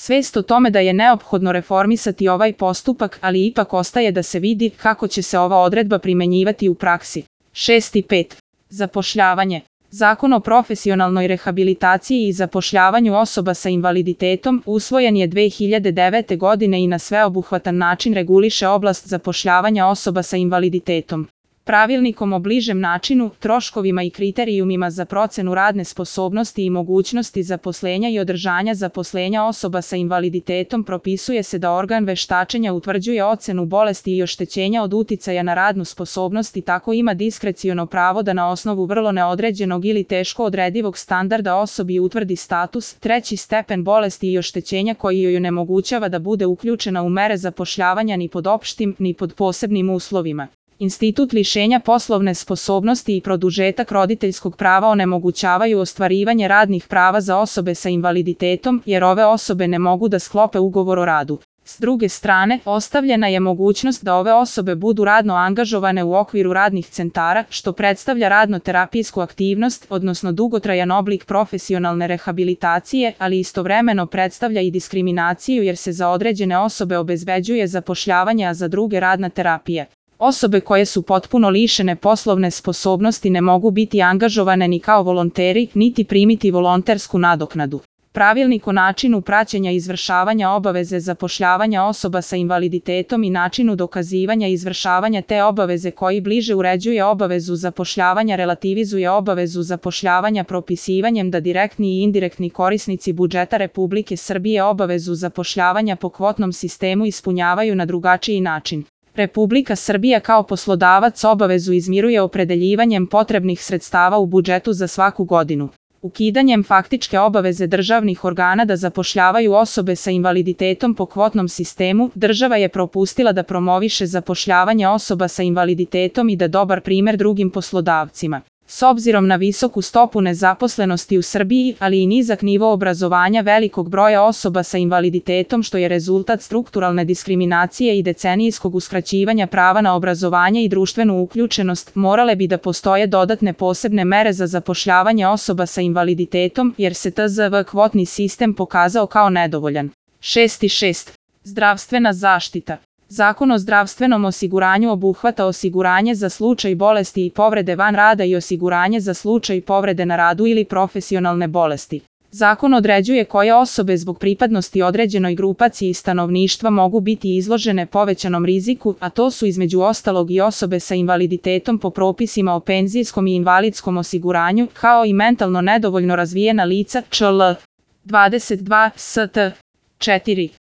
Svest o tome da je neophodno reformisati ovaj postupak, ali ipak ostaje da se vidi kako će se ova odredba primenjivati u praksi. 6.5. Zapošljavanje. Zakon o profesionalnoj rehabilitaciji i zapošljavanju osoba sa invaliditetom usvojen je 2009. godine i na sveobuhvatan način reguliše oblast zapošljavanja osoba sa invaliditetom. Pravilnikom o bližem načinu, troškovima i kriterijumima za procenu radne sposobnosti i mogućnosti zaposlenja i održanja zaposlenja osoba sa invaliditetom propisuje se da organ veštačenja utvrđuje ocenu bolesti i oštećenja od uticaja na radnu sposobnost i tako ima diskreciono pravo da na osnovu vrlo neodređenog ili teško odredivog standarda osobi utvrdi status, treći stepen bolesti i oštećenja koji joj onemogućava da bude uključena u mere zapošljavanja ni pod opštim, ni pod posebnim uslovima. Institut lišenja poslovne sposobnosti i produžetak roditeljskog prava onemogućavaju ostvarivanje radnih prava za osobe sa invaliditetom, jer ove osobe ne mogu da sklope ugovor o radu. S druge strane, ostavljena je mogućnost da ove osobe budu radno angažovane u okviru radnih centara, što predstavlja radno-terapijsku aktivnost, odnosno dugotrajan oblik profesionalne rehabilitacije, ali istovremeno predstavlja i diskriminaciju jer se za određene osobe obezbeđuje zapošljavanje, a za druge radna terapija. Osobe koje su potpuno lišene poslovne sposobnosti ne mogu biti angažovane ni kao volonteri, niti primiti volontersku nadoknadu. Pravilnik o načinu praćenja izvršavanja obaveze zapošljavanja osoba sa invaliditetom i načinu dokazivanja izvršavanja te obaveze koji bliže uređuje obavezu zapošljavanja relativizuje obavezu zapošljavanja propisivanjem da direktni i indirektni korisnici budžeta Republike Srbije obavezu zapošljavanja po kvotnom sistemu ispunjavaju na drugačiji način. Republika Srbija kao poslodavac obavezu izmiruje opredeljivanjem potrebnih sredstava u budžetu za svaku godinu. Ukidanjem faktičke obaveze državnih organa da zapošljavaju osobe sa invaliditetom po kvotnom sistemu, država je propustila da promoviše zapošljavanje osoba sa invaliditetom i da dobar primer drugim poslodavcima. S obzirom na visoku stopu nezaposlenosti u Srbiji, ali i nizak nivo obrazovanja velikog broja osoba sa invaliditetom što je rezultat strukturalne diskriminacije i decenijskog uskraćivanja prava na obrazovanje i društvenu uključenost, morale bi da postoje dodatne posebne mere za zapošljavanje osoba sa invaliditetom, jer se TZV kvotni sistem pokazao kao nedovoljan. 6.6. Zdravstvena zaštita. Zakon o zdravstvenom osiguranju obuhvata osiguranje za slučaj bolesti i povrede van rada i osiguranje za slučaj povrede na radu ili profesionalne bolesti. Zakon određuje koje osobe zbog pripadnosti određenoj grupaciji stanovništva mogu biti izložene povećanom riziku, a to su između ostalog i osobe sa invaliditetom po propisima o penzijskom i invalidskom osiguranju, kao i mentalno nedovoljno razvijena lica, čl. 22 st. 4.